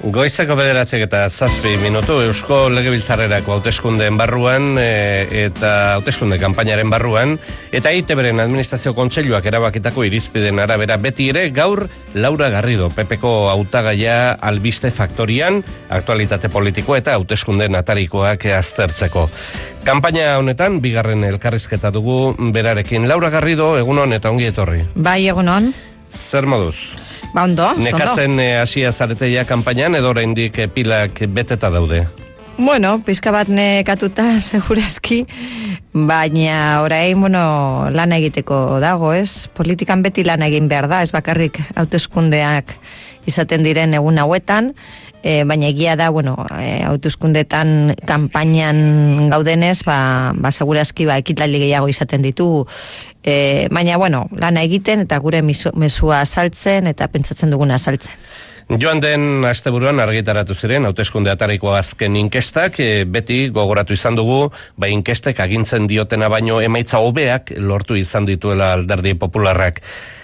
Goizeko 9:07 Eusko Legebiltzarrerako hauteskundeen barruan eta hauteskunde kanpainaren barruan eta EITBren administrazio kontseiluak erabakitako irizpideen arabera beti ere gaur Laura Garrido, PPko hautagaia albiste faktorian, aktualitate politiko eta hauteskundeen atarikoak aztertzeko. Kanpaina honetan bigarren elkarrizketa dugu berarekin. Laura Garrido, egunon eta ongi etorri. Bai, egunon. Zer moduz? Ba, ondo. Nekatzen hasia zareteia kanpainan edo oraindik pilak beteta daude? Bueno, pizka bat nekatuta segurazki, baina orain, lan egiteko dago, ez? Politikan beti lan egin behar da, ez bakarrik hauteskundeak izaten diren egun hauetan, baina egia da, hauteskundetan kanpainan gaudenez, segurazki ekitaldi gehiago izaten ditugu, baina, lana egiten eta gure mezua saltzen eta pentsatzen duguna saltzen. Joan den asteburuan argitaratu ziren hauteskunde atariko azken inkestak, beti gogoratu izan dugu, inkestek agintzen diotena baino emaitza hobeak lortu izan dituela Alderdi Popularrak.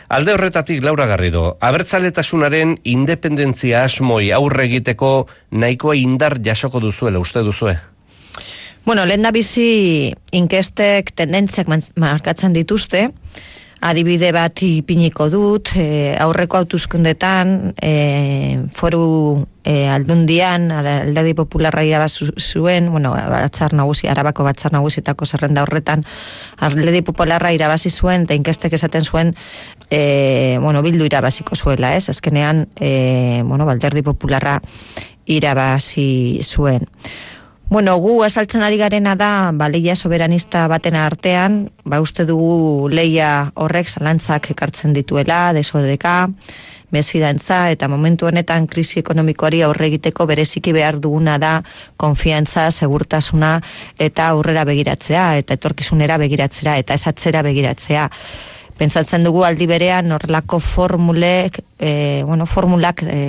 Alde horretatik, Laura Garrido, abertzaletasunaren independentzia asmoi aurre egiteko nahikoa indar jasoko duzuela, uste duzue? Lehendabizi inkestek tendentziak markatzen dituzte, adibide bat ipiniko dut, aurreko hauteskundetan foru aldundian, Alderdi Popularra irabazi zuen, Arabako batzar nagusietako zerrenda horretan, Alderdi Popularra irabazi zuen, eta inkestek esaten zuen, Bildu irabaziko zuela, ez? Azkenean, Alderdi Popularra irabazi zuen. Gu esaltzen ari garena da, leia soberanista baten artean, uste dugu leia horrek zalantzak ekartzen dituela, desordeka, mesfidantza, eta momentu honetan krisi ekonomikoari aurre egiteko bereziki behar duguna da konfiantza, segurtasuna, eta aurrera begiratzea, eta etorkizunera begiratzea, eta esatzera begiratzea. Pentsatzen dugu aldi berean horrelako formulak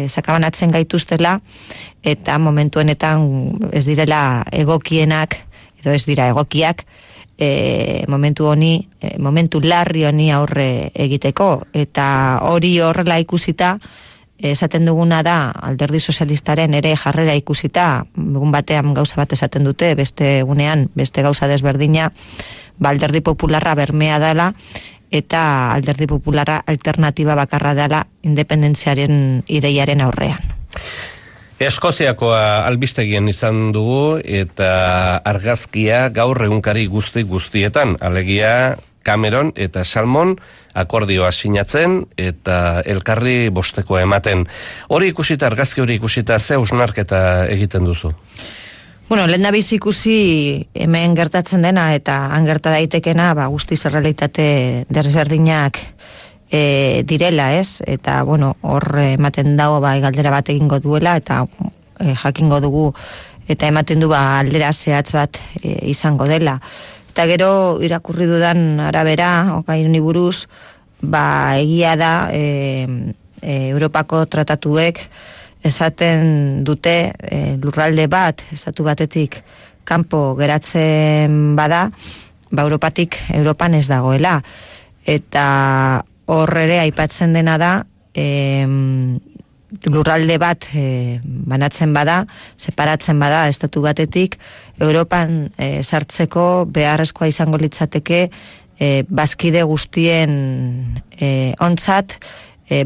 sakabanatzen gaituztela, eta momentu honetan ez direla egokienak, edo ez dira egokiak, momentu larri honi aurre egiteko, eta hori horrela ikusita, esaten duguna da, Alderdi Sozialistaren ere jarrera ikusita, egun batean gauza bat esaten dute, beste egunean, beste gauza desberdina, Alderdi Popularra bermea dela, eta Alderdi Popularra alternatiba bakarra dela independentziaren ideiaren aurrean. Eskoziakoa albistegien izan dugu eta argazkia gaur egunkari guztietan, alegia Cameron eta Salmon akordioa sinatzen eta elkarri bostekoa ematen. Argazki hori ikusita, ze hausnarketa egiten duzu? Lehendabizi ikusi hemen gertatzen dena eta han gerta daitekena, guztiz errealitate desberdinak direla, ez? Eta, hor ematen dago galdera bat egingo duela eta jakingo dugu eta ematen du aldera zehatz bat izango dela. Eta gero irakurri dudan arabera, okaini buruz, egia da Europako tratatuek esaten dute lurralde bat, estatu batetik kanpo geratzen bada, Europatik Europan ez dagoela. Eta horre aipatzen dena da, lurralde bat banatzen bada, separatzen bada estatu batetik, Europan sartzeko beharrezkoa izango litzateke bazkide guztien ontzat,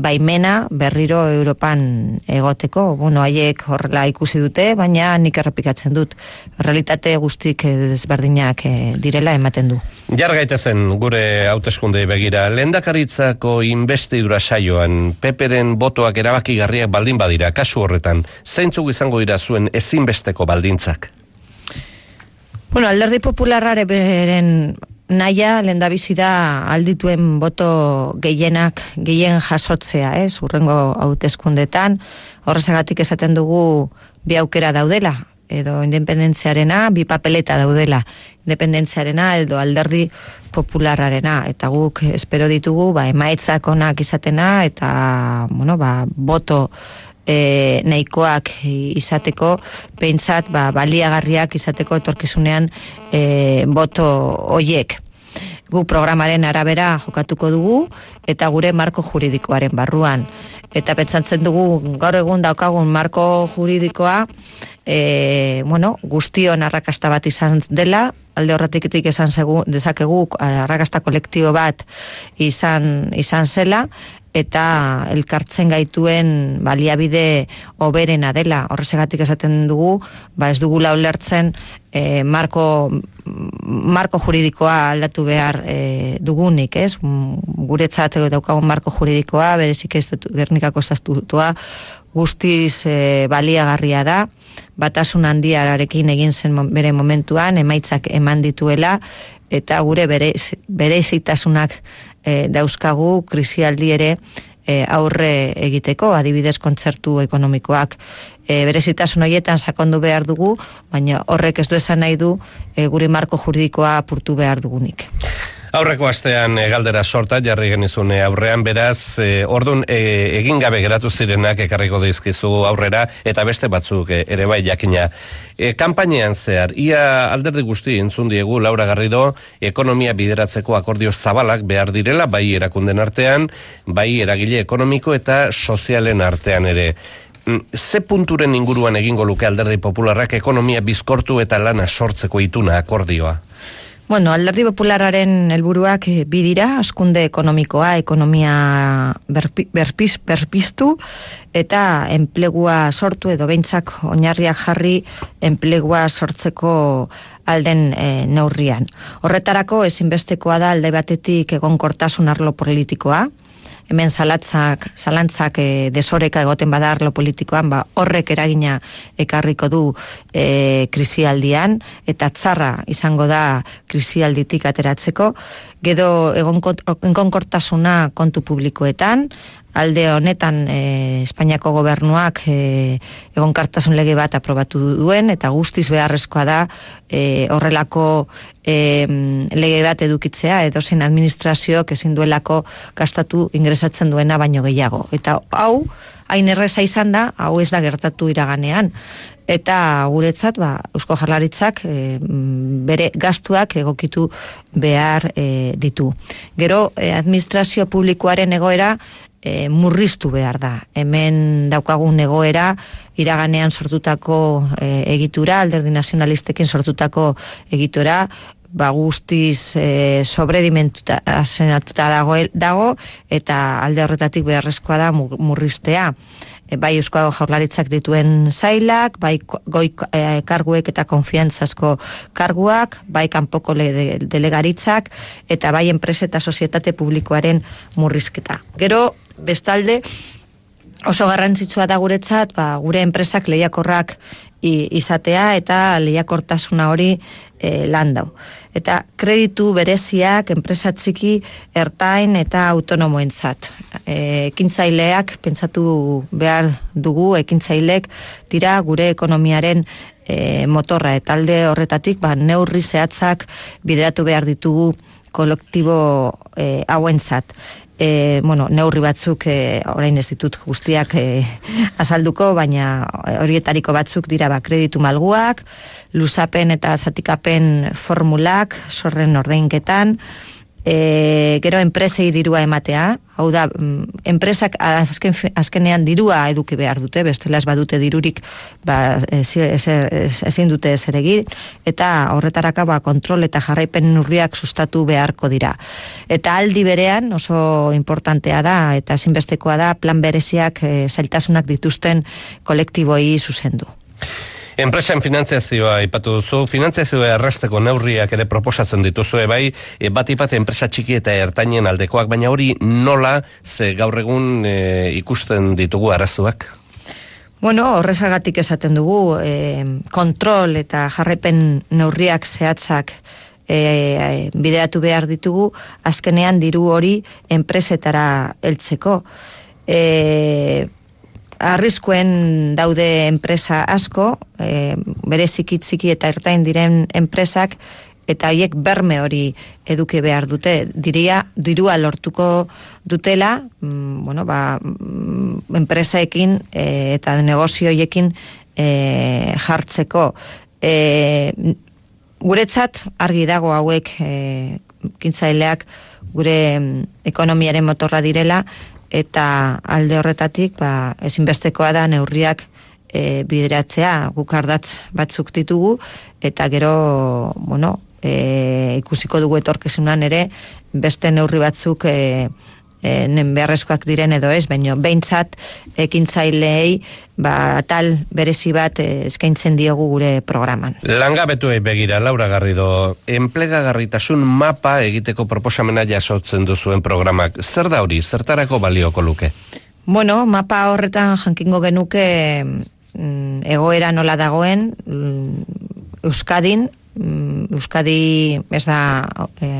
baimena berriro Europan egoteko. Haiek horrela ikusi dute, baina nik errepikatzen dut. Realitate guztik desberdinak direla ematen du. Jar gaitezen gure hauteskundei begira. Lehendakaritzako inbestidura saioan, PPren botoak erabakigarriak baldin badira, kasu horretan, zeintzuk izango dira zuen ezinbesteko baldintzak? Alderdi Popularraren beren naia lehendabizi da aldituen boto gehien jasotzea, hurrengo hauteskundetan. Horrezagatik esaten dugu bi aukera daudela, edo independentziarena, bi papeleta daudela, independentziarena edo Alderdi Popularrarena, eta guk espero ditugu emaitzak onak izatena eta boto nahikoak izateko, pentsat baliagarriak izateko etorkizunean boto hoiek. Gu programaren arabera jokatuko dugu eta gure marko juridikoaren barruan. eta pentsatzen dugu gaur egun daukagun marko juridikoa guztion arrakasta bat izan dela, alde horretikitik esan dezakegu arrakasta kolektibo bat izan zela, eta elkartzen gaituen baliabide hoberena dela. Horregatik esaten dugu, ez dugula ulertzen marko juridikoa aldatu behar dugunik, ez? Guretzat daukagun marko juridikoa, berezik Gernikako estatutua guztiz baliagarria da, batasun handiarekin egin zen bere momentuan, emaitzak eman dituela, eta gure bereizitasunak dauzkagu krisialdi ere aurre egiteko, adibidez kontzertu ekonomikoak berezitasun horietan sakondu behar dugu, baina horrek ez du esan nahi du gure marko juridikoa apurtu behar dugunik. Aurreko astean galdera sorta jarri genizun aurrean, beraz, ordun egin gabe geratu zirenak ekarriko dizkizu aurrera, eta beste batzuk ere bai jakina. Kanpainean zehar, ia alderdi guzti entzun diegu Laura Garrido, ekonomia bideratzeko akordio zabalak behar direla, bai erakunden artean, bai eragile ekonomiko eta sozialen artean ere. Ze punturen inguruan egingo luke alderdi popularrak ekonomia bizkortu eta lana sortzeko ituna akordioa? Alderdi populararen helburuak bi dira, hazkunde ekonomikoa, ekonomia berpiztu eta enplegua sortu edo behintzak oinarriak jarri enplegua sortzeko alden neurrian. Horretarako ezinbestekoa da alde batetik egonkortasun arlo politikoa, hemen zalantzak desoreka egoten bada arlo politikoan, horrek eragina ekarriko du krisialdian, eta txarra izango da krisialditik ateratzeko, gero egonkortasuna kontu publikoetan, alde honetan Espainiako gobernuak egonkortasun lege bat aprobatu duen, eta guztiz beharrezkoa da horrelako lege bat edukitzea, edozein administrazioak ezin duelako gastatu ingresatzen duena baino gehiago. Eta hau, hain erreza izan da, hau ez da gertatu iraganean. Eta guretzat, Eusko Jaurlaritzak bere gastuak egokitu behar ditu. Gero, administrazio publikoaren egoera murriztu behar da. Hemen daukagun egoera iraganean sortutako egitura, alderdi nazionalistekin sortutako egitura, guztiz sobredimentuta dago, eta alde horretatik beharrezkoa da murriztea. Bai Eusko Jaurlaritzak dituen sailak, bai goi karguek eta konfiantzazko karguak, bai kanpoko delegaritzak, eta bai enpresa eta sozietate publikoaren murrizketa. Gero, bestalde, oso garrantzitsua da guretzat, gure enpresak lehiakorrak izatea eta lehiakortasuna hori landau. Eta kreditu bereziak enpresa txiki, ertain eta autonomoentzat. Ekintzaileak pentsatu behar dugu, ekintzailek dira gure ekonomiaren motorra, eta alde horretatik neurri zehatzak bideratu behar ditugu kolektibo hauentzat. Neurri batzuk orain ez ditut guztiak azalduko, baina horietariko batzuk dira kreditu malguak, luzapen eta zatikapen formulak, zorren ordainketan, gero enpresei dirua ematea, hau da, enpresak azkenean dirua eduki behar dute, bestela ez badute dirurik ezin dute ezer egin, eta horretaraka kontrol eta jarraipen neurriak sustatu beharko dira. Eta aldi berean oso importantea da, eta ezinbestekoa da, plan bereziak zailtasunak dituzten kolektiboi zuzendu. Enpresen finantziazioa ipatu duzu, finantziazioa errazteko neurriak ere proposatzen dituzue bai, bat enpresa txiki eta ertainen aldekoak, baina hori nola ze gaur egun ikusten ditugu arazoak? Horrezagatik esaten dugu, kontrol eta jarraipen neurriak zehatzak bideratu behar ditugu, azkenean diru hori enpresetara heltzeko. Arriskuen daude enpresa asko, bereziki txiki eta ertain diren enpresak, eta horiek berme hori eduki behar dute, dirua lortuko dutela, enpresaekin eta negozioekin jartzeko. Guretzat argi dago hauek kintzaileak gure ekonomiaren motorra direla, eta alde horretatik ezinbestekoa da neurriak bideratzea, guk ardatz batzuk ditugu, eta gero, ikusiko dugu etorkizunan ere, beste neurri batzuk beharrezkoak diren edo ez, baina behintzat ekintzaileei tal berezi bat eskaintzen diogu gure programan. Langabetuei begira, Laura Garrido, enplegagarritasun mapa egiteko proposamena jasotzen duzuen programak. Zer da hori, zertarako balioko luke? Mapa horretan jankingo genuke egoera nola dagoen Euskadin. Euskadi ez da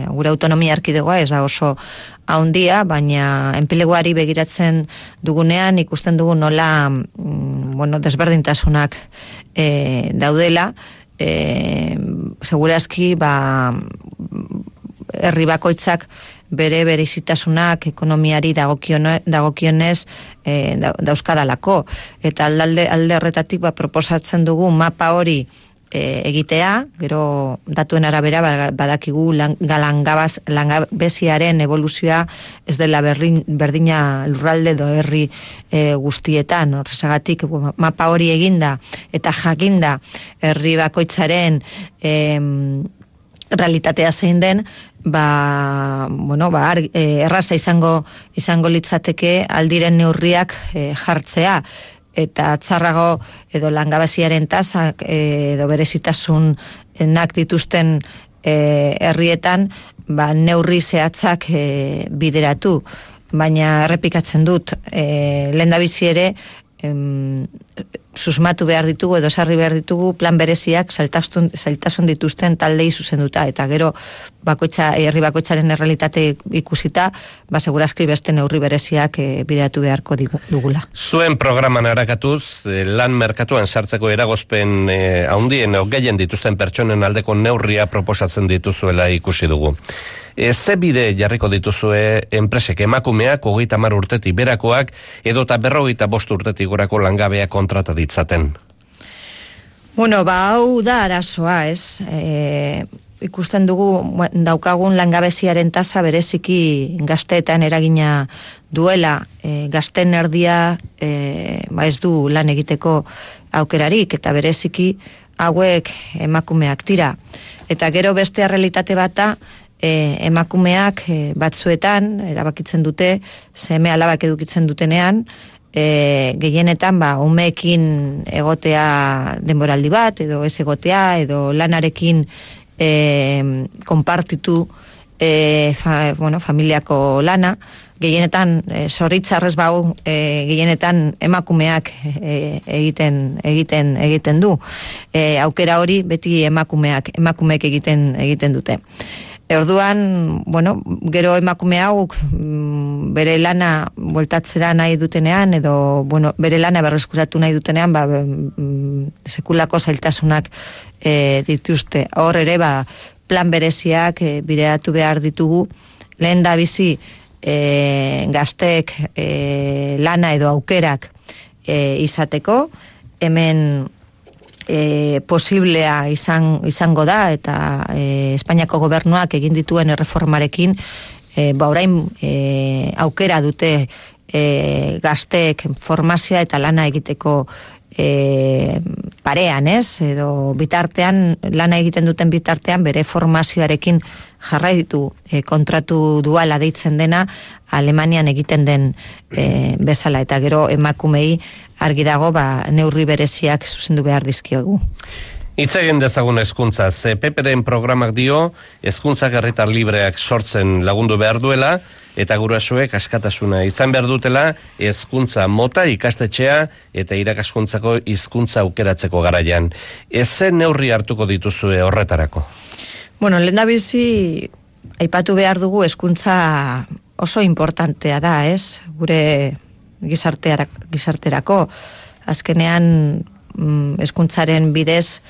gure autonomia erkidegoa, ez da oso haundia, baina enpleguari begiratzen dugunean ikusten dugu nola desberdintasunak daudela, segurazki herri bakoitzak bere berezitasunak ekonomiari dagokionez dauzkadalako, eta alde horretatik proposatzen dugu mapa hori egitea, gero datuen arabera badakigu langabeziaren evoluzioa ez dela berdina lurralde edo herri guztietan. Horrezagatik mapa hori eginda eta jakinda herri bakoitzaren realitatea zein den, erraza izango litzateke aldiren neurriak jartzea, eta atzarrago edo langabeziaren tasak edo berezitasunak dituzten herrietan neurri zehatzak bideratu. Baina errepikatzen dut, lehendabizi ere susmatu behar ditugu edo sarri behar ditugu plan bereziak zailtasun dituzten taldei zuzenduta, eta gero herri bakoitzaren errealitate ikusita, segurazki beste neurri bereziak bideratu beharko dugula. Zuen programan arakatuz, lan merkatuan sartzeko eragozpen handien gehien dituzten pertsonen aldeko neurria proposatzen dituzuela ikusi dugu. Ze bide jarriko dituzue enpresek emakumeak 30 urtetik berakoak edota 55 urtetik gorako langabeak kontrata ditzaten? Hau da arazoa, ez? Ikusten dugu daukagun langabeziaren tasa bereziki gazteetan eragina duela, gazten erdia ez du lan egiteko aukerarik, eta bereziki hauek emakumeak dira. Eta gero beste realitate bata, emakumeak batzuetan erabakitzen dute, seme alabak edukitzen dutenean, gehienetan umeekin egotea denboraldi bat, edo ez egotea, edo lanarekin konpartitu familiako lana, gehienetan zorritzarrez gehienetan emakumeak egiten du. Aukera hori beti emakumeek egiten dute. Orduan, gero emakume hauk bere lana bueltatzera nahi dutenean, edo bere lana berreskuratu nahi dutenean, sekulako zailtasunak dituzte. Hor ere, plan bereziak bideratu behar ditugu, lehen da bizi gazteek lana edo aukerak izateko, hemen posiblea izango da, eta Espainiako gobernuak egin dituen erreformarekin orain aukera dute gazteek formazioa eta lana egiteko parean, ez? Edo bitartean, lana egiten duten bitartean, bere formazioarekin jarraitu kontratu duala deitzen dena Alemanian egiten den bezala, eta gero emakumei argi dago neurri bereziak zuzendu behar dizkiogu. Hitz egin dezagun hezkuntzaz. PPren programak dio hezkuntzak herritar libreak sortzen lagundu behar duela, eta gurasoek askatasuna izan behar dutela hezkuntza mota ikastetxea eta irakaskuntzako hizkuntza aukeratzeko garaian. Ezen neurri hartuko dituzue horretarako? Lehendabizi aipatu behar dugu hezkuntza oso importantea da, ez? Gure gizarterako. Azkenean hezkuntzaren bidez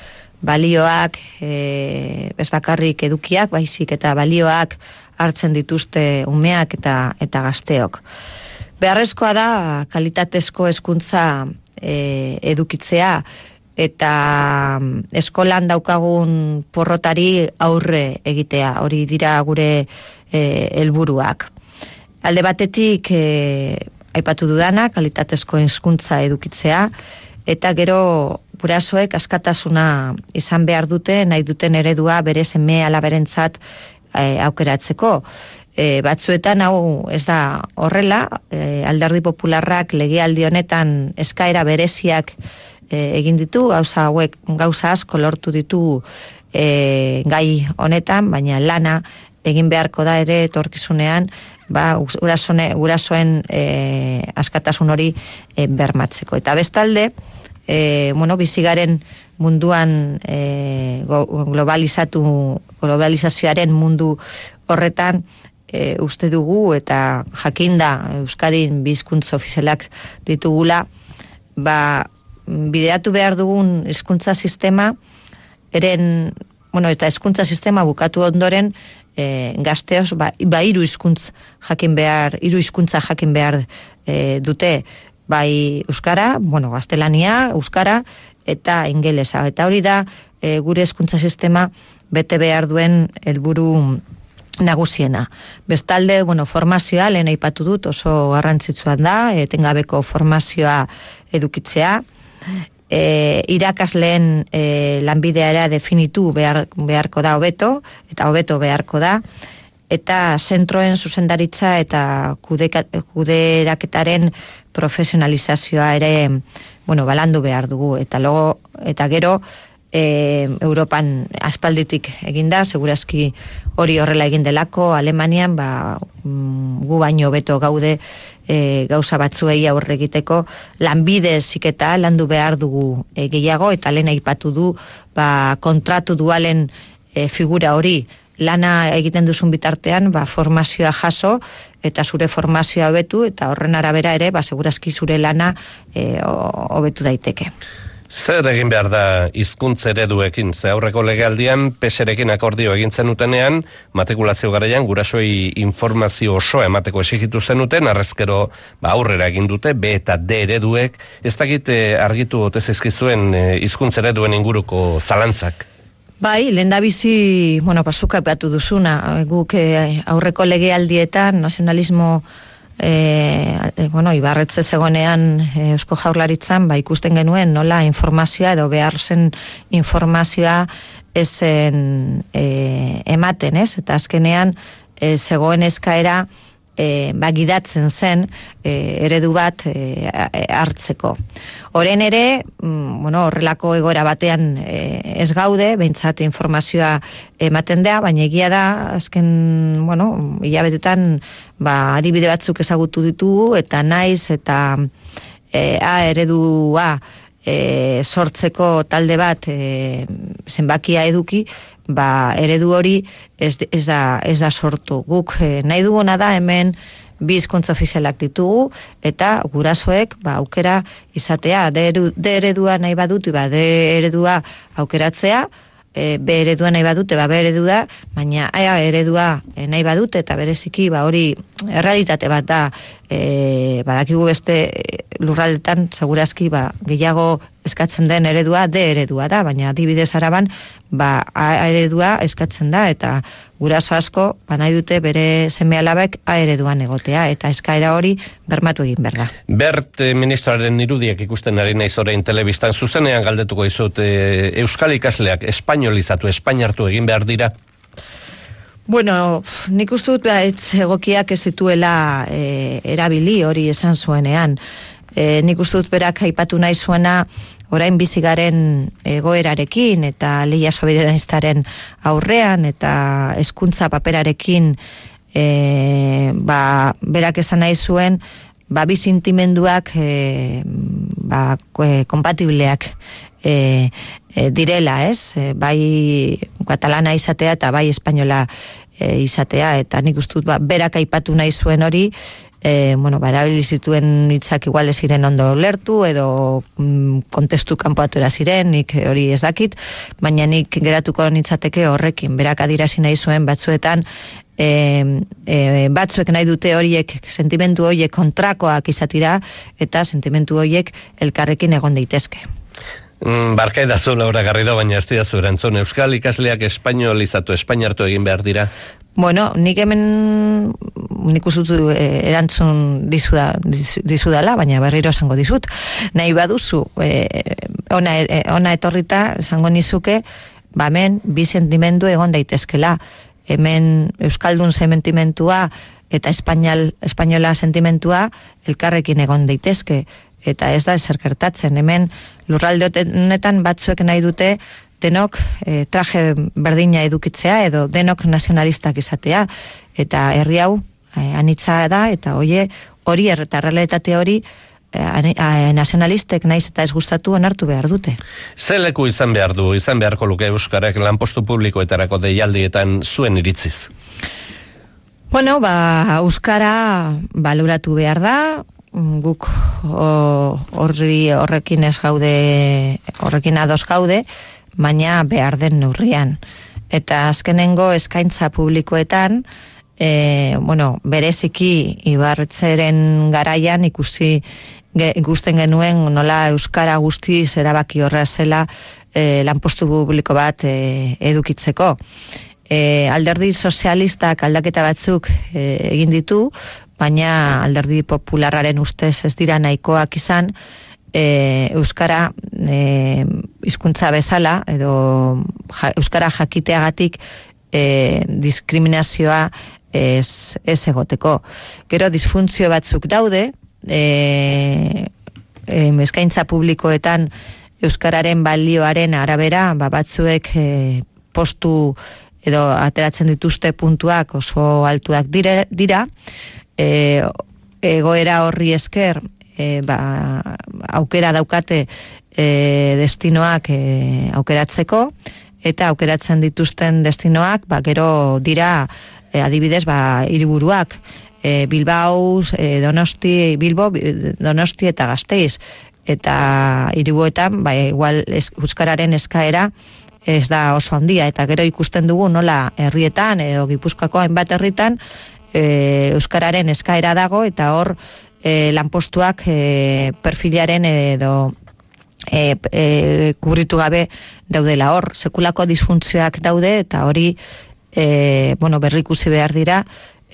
balioak, ez bakarrik edukiak, baizik eta balioak hartzen dituzte umeak eta gazteok. Beharrezkoa da kalitatezko hezkuntza edukitzea, eta eskolan daukagun porrotari aurre egitea, hori dira gure helburuak. Alde batetik aipatu dudana, kalitatezko hizkuntza edukitzea, eta gero gurasoek askatasuna izan behar dute, nahi duten eredua bere seme alaberentzat aukeratzeko. Batzuetan hau ez da horrela, Alderdi Popularrak legealdi honetan eskaera bereziak egin ditu, gauza asko lortu ditu gai honetan, baina lana egin beharko da ere etorkizunean gurasoen askatasun hori bermatzeko. Eta bestalde, bizigaren munduan globalizazioaren mundu horretan uste dugu eta jakinda Euskadin bi hizkuntza ofizialak ditugula, bideratu behar dugun hizkuntza sistema eta hizkuntza sistema bukatu ondoren gazteos hiru hizkuntza jakin behar dute, bai euskara, gaztelania, euskara eta ingelesa. Eta hori da gure hezkuntza sistema bete behar duen helburu nagusiena. Bestalde, formazioa lehen aipatu dut, oso garrantzitsua da, etengabeko formazioa edukitzea. Irakasleen lanbidea ere definitu beharko da hobeto, eta hobeto beharko da, eta zentroen zuzendaritza eta kuderaketaren profesionalizazioa ere balandu behar dugu, eta gero Europan aspalditik eginda, segurazki hori horrela egin delako, Alemanian gu baino hobeto gaude gauza batzuei aurre egiteko, lanbide heziketa landu behar dugu gehiago, eta lehen aipatu du kontratu dualen figura hori, lana egiten duzun bitartean, formazioa jaso, eta zure formazioa hobetu, eta horren arabera ere, segurazki zure lana hobetu daiteke. Zer egin behar da hizkuntza ereduekin? Ze aurreko legealdian PSrekin akordio egin zenutenen, matrikulazio garaian gurasoei informazio osoa emateko exigitu zenuten, arrezkero aurrera egin dute, B eta D ereduek, ez dakit argitu ote zaizkizuen hizkuntza ereduen inguruko zalantzak? Bai, lehendabizi, pasuka epatu duzuna, guk aurreko legealdietan nazionalismo Ibarretxe zegonean Eusko Jaurlaritzan ikusten genuen nola informazioa edo behar zen informazioa esen ematen, ez? Eta azkenean zegoen eskaera gidatzen zen eredu bat hartzeko. Orain ere, horrelako egoera batean ez gaude, behintzat informazioa ematen da, baina egia da, azken, hilabetetan, adibide batzuk ezagutu ditugu, eta naiz, eta eredua sortzeko talde bat zenbakia eduki, eredu hori ez da sortu. Guk nahi duguna da hemen bi hizkuntza ofizialak ditugu, eta gurasoek aukera izatea, D eredua nahi badut, D eredua aukeratzea, B eredua nahi badute, B eredua, baina A eredua nahi badute, eta bereziki hori errealitate bat da, badakigu beste lurraldetan segurazki gehiago eskatzen den eredua D eredua da, baina adibidez Araban A eredua eskatzen da, eta guraso asko nahi dute bere seme alabek A ereduan egotea, eta eskaera hori bermatu egin behar da. Bert ministroaren irudiak ikusten ari naiz orain telebistan, zuzenean galdetuko dizut, euskal ikasleak espainolizatu, espainartu egin behar dira? Nik uste dut egokiak ez zituela erabili hori esan zuenean. Nik uste dut berak aipatu nahi zuena orain bizigaren egoerarekin eta lehia soberanistaren aurrean eta hezkuntza paperarekin berak esan nahi zuen bi sentimenduak kompatibleak direla, ez? Bai katalana izatea eta bai espainola izatea, eta nik uste dut berak aipatu nahi zuen hori, erabili zituen hitzak igual ez ziren ondo lertu edo kontestu kanpoatura ziren, nik hori ez dakit, baina nik geratuko nitzateke horrekin, berak adierazi nahi zuen batzuetan batzuek nahi dute horiek, sentimendu horiek kontrakoak izatira, eta sentimendu horiek elkarrekin egon daitezke. Barka edazu, Laura Garrido, baina ez didazu erantzun. Euskal ikasleak espainolizatu, espainartu egin behar dira? Nik hemen nik uste dut erantzun dizudala, baina berriro esango dizut. Nahi baduzu, ona etorrita, esango nizuke, hemen bi sentimendu egon daitezkela. Hemen Euskaldun sentimentua eta espainola sentimentua elkarrekin egon daitezke. Eta ez da ezer gertatzen. Hemen lurralde honetan batzuek nahi dute denok traje berdina edukitzea edo denok nazionalistak izatea. Eta herri hau anitza da eta hori eta realitate hori nazionalistek naiz eta ez gustatu onartu behar dute. Ze leku izan beharko luke euskarak lanpostu publikoetarako deialdietan zuen iritziz? Bueno, euskara baloratu behar da, guk horrekin ez gaude, horrekin ados gaude, baina behar den neurrian. Eta azkenengo eskaintza publikoetan, bereziki Ibarretzeren garaian ikusten genuen nola euskara guztiz erabaki horra zela lanpostu publiko bat edukitzeko. Alderdi sozialistak aldaketa batzuk egin ditu, baina alderdi popularraren ustez ez dira nahikoak izan euskara hizkuntza bezala edo euskara jakiteagatik diskriminazioa ez egoteko. Gero disfuntzio batzuk daude, eskaintza publikoetan euskararen balioaren arabera, batzuek postu edo ateratzen dituzte puntuak oso altuak dira, egoera horri esker aukera daukate destinoak aukeratzeko, eta aukeratzen dituzten destinoak gero dira adibidez hiriburuak, Bilbao, Bilbo, Donosti eta Gasteiz, eta hiribuetan igual euskararen eskaera ez da oso handia, eta gero ikusten dugu nola herrietan edo Gipuzkoako hainbat herritan euskararen eskaera dago, eta hor lanpostuak perfilaren edo kubritu gabe daudela. Hor sekulako disfuntzioak daude, eta hori berrikusi behar dira,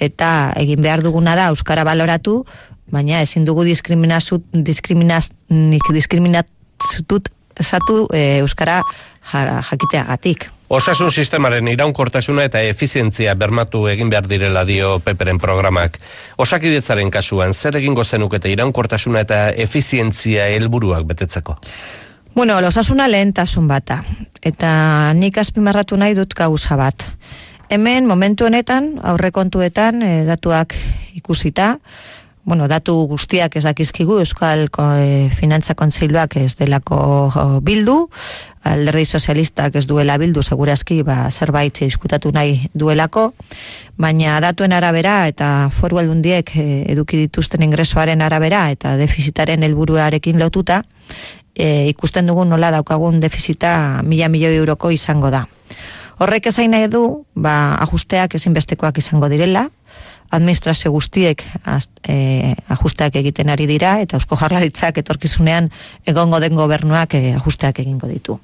eta egin behar duguna da euskara baloratu, baina ezin dugu diskriminatut euskara jakiteagatik. Osasun sistemaren iraunkortasuna eta efizientzia bermatu egin behar direla dio Peperen programak. Osakidetzaren kasuan, zer egingo zenukete iraunkortasuna eta efizientzia helburuak betetzeko? Bueno, osasuna lehentasun bata, eta nik azpimarratu nahi dut gauza bat. Hemen, momentu honetan, aurrekontuetan, datuak ikusita, datu guztiak ez dakizkigu, Euskal Finantza Kontseiluak ez delako bildu, alderdi sozialistak ez duela bildu, segurazki zerbait diskutatu nahi duelako, baina datuen arabera eta foru aldundiek eduki dituzten ingresoaren arabera eta defizitaren helburuarekin lotuta, ikusten dugu nola daukagun defizita 1.000 milioi euroko izango da. Horrek esain nahi du, ajusteak ezinbestekoak izango direla, administrazio guztiek ajusteak egiten ari dira, eta Eusko Jaurlaritzak etorkizunean egongo den gobernuak ajusteak egingo ditu.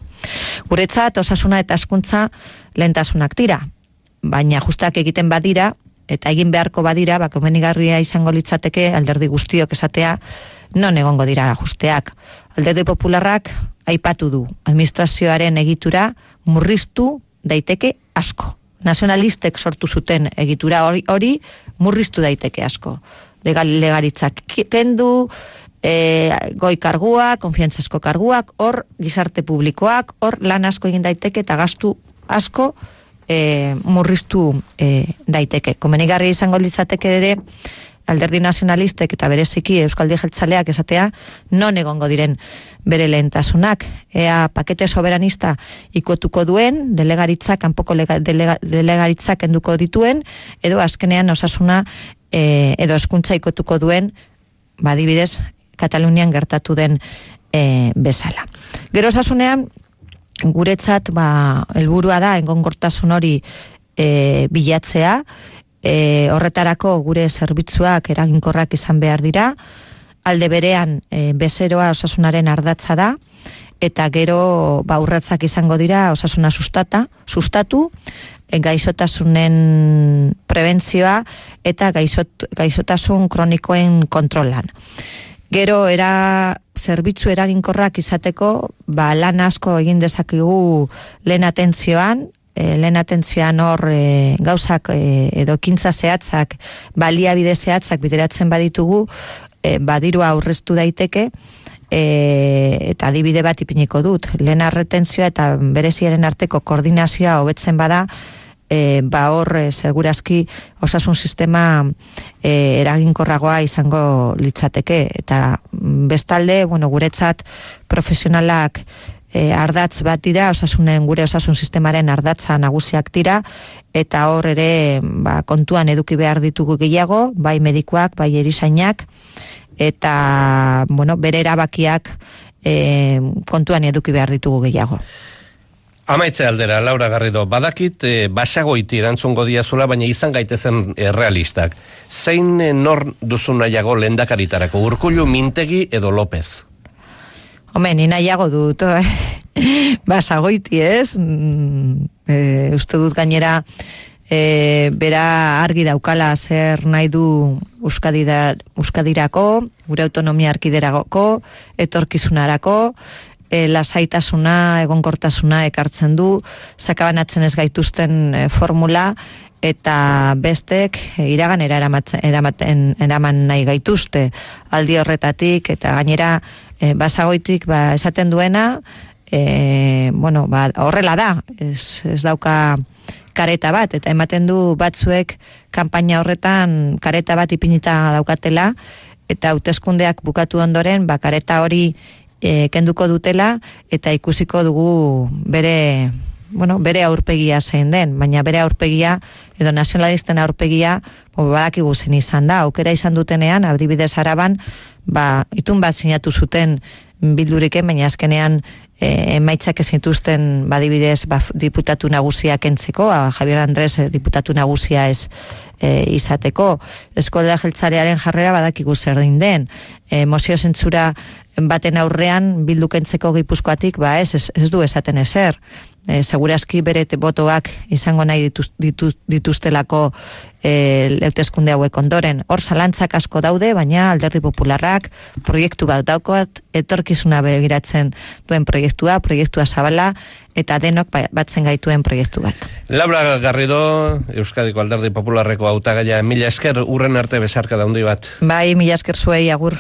Guretzat, osasuna eta hezkuntza lehentasunak dira, baina ajusteak egiten badira, eta egin beharko badira, komenigarria izango litzateke alderdi guztiok esatea, non egongo dira ajusteak. Alderdi popularrak aipatu du, administrazioaren egitura murriztu daiteke asko. Nazionalistek sortu zuten egitura hori murriztu daiteke asko. Legaritzak kendu, goi karguak, konfiantzazko karguak, hor gizarte publikoak, hor lan asko egin daiteke eta gastu asko murriztu daiteke. Komenigarri izango litzateke ere alderdi nazionalistek eta bereziki Euskaldi Jeltzaleak esatea non egongo diren bere lehentasunak. Ea pakete soberanista ikutuko duen, delegaritzak, kanpoko delegaritzak enduko dituen, edo azkenean osasuna edo hezkuntza ikutuko duen, adibidez, Katalunian gertatu den bezala. Gero osasunean, guretzat helburua da egonkortasun hori bilatzea, horretarako gure zerbitzuak eraginkorrak izan behar dira, alde berean bezeroa osasunaren ardatza da, eta gero urratsak izango dira osasuna sustatu, gaixotasunen prebentzioa eta gaixotasun kronikoen kontrolan. Gero zerbitzu eraginkorrak izateko, lan asko egin dezakigu lehen atentzioan hor gauzak edo ekintza zehatzak, baliabide zehatzak bideratzen baditugu, badirua aurreztu daiteke, eta adibide bat ipiniko dut. Lehen arretentzioa eta bereziaren arteko koordinazioa hobetzen bada, hor segurazki osasun sistema eraginkorragoa izango litzateke. Eta bestalde, guretzat profesionalak ardatz bat dira, gure osasun sistemaren ardatza nagusiak dira, eta hor ere kontuan eduki behar ditugu gehiago, bai medikuak, bai erizainak, eta bere erabakiak kontuan eduki behar ditugu gehiago. Amaitze aldera, Laura Garrido, badakit basagoiti erantzungo diazula, baina izan gaitezen realistak. Zein nor duzu nahiago lehendakaritarako, Urkullu, Mintegi edo López? Ni nahiago dut basagoiti, ez? Uste dut gainera bera argi daukala zer nahi du Euskadirako, gure autonomia erkiderako, etorkizunarako, lasaitasuna, egonkortasuna ekartzen du, sakabanatzen ez gaituzten formula, eta bestek iraganera eraman nahi gaituzte aldi horretatik, eta gainera basagoitik esaten duena, horrela da, ez dauka kareta bat, eta ematen du batzuek kanpaina horretan kareta bat ipinita daukatela, eta hauteskundeak bukatu ondoren, kareta hori kenduko dutela, eta ikusiko dugu bere aurpegia zein den, baina bere aurpegia, edo nazionalisten aurpegia, badakigu zen izan da, aukera izan dutenean, adibidez Araban, itun bat sinatu zuten Bilduriken, baina azkenean emaitzak ezintuzten badibidez diputatu nagusia kentzeko, Javier Andres diputatu nagusia ez izateko. Eskualdea jeltzarearen jarrera badakigu zer den. Mozio zentzura baten aurrean Bildu kentzeko Gipuzkoatik, ez du esaten ezer. Segurazki bere botoak izango nahi dituztelako hauteskunde hauek ondoren. Hor zalantzak asko daude, baina Alderdi Popularrak proiektu bat daukat, etorkizuna begiratzen duen proiektua zabala, eta denok batzen gaituen proiektu bat. Laura Garrido, Euskadiko Alderdi Popularreko hautagaia, mila esker, urren arte besarka daundi bat. Bai, mila esker zuei, agur.